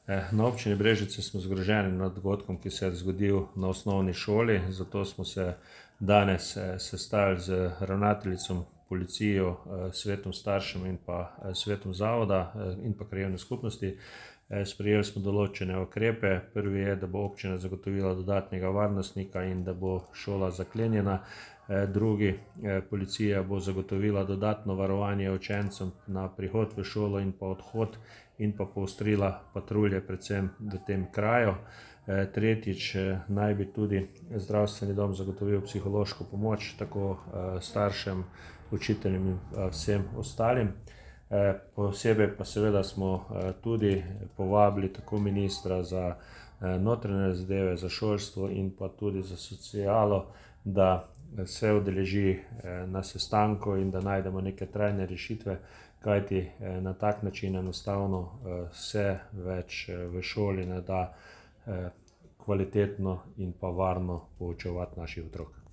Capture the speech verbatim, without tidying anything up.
Na občini Brežice smo zgroženi nad dogodkom, ki se je zgodil na osnovni šoli, zato smo se danes sestali z ravnateljico, policijo, svetom staršev in pa svetom zavoda in pa krajevne skupnosti. Sprejeli smo določene ukrepe. Prvi je, da bo občina zagotovila dodatnega varnostnika in da bo šola zaklenjena. Drugi, policija bo zagotovila dodatno varovanje učencem na prihod v šolo in pa odhod in pa poostrila patrulje predvsem v tem kraju. Tretjič, naj bi tudi zdravstveni dom zagotovil psihološko pomoč tako staršem, učiteljem in vsem ostalim. Posebej pa seveda smo tudi povabili tako ministra za notranje zadeve, za šolstvo in pa tudi za socialo, da se udeleži na sestanku in da najdemo neke trajne rešitve, kajti na tak način enostavno se več v šoli ne da kvalitetno in pa varno poučevati naših otrok.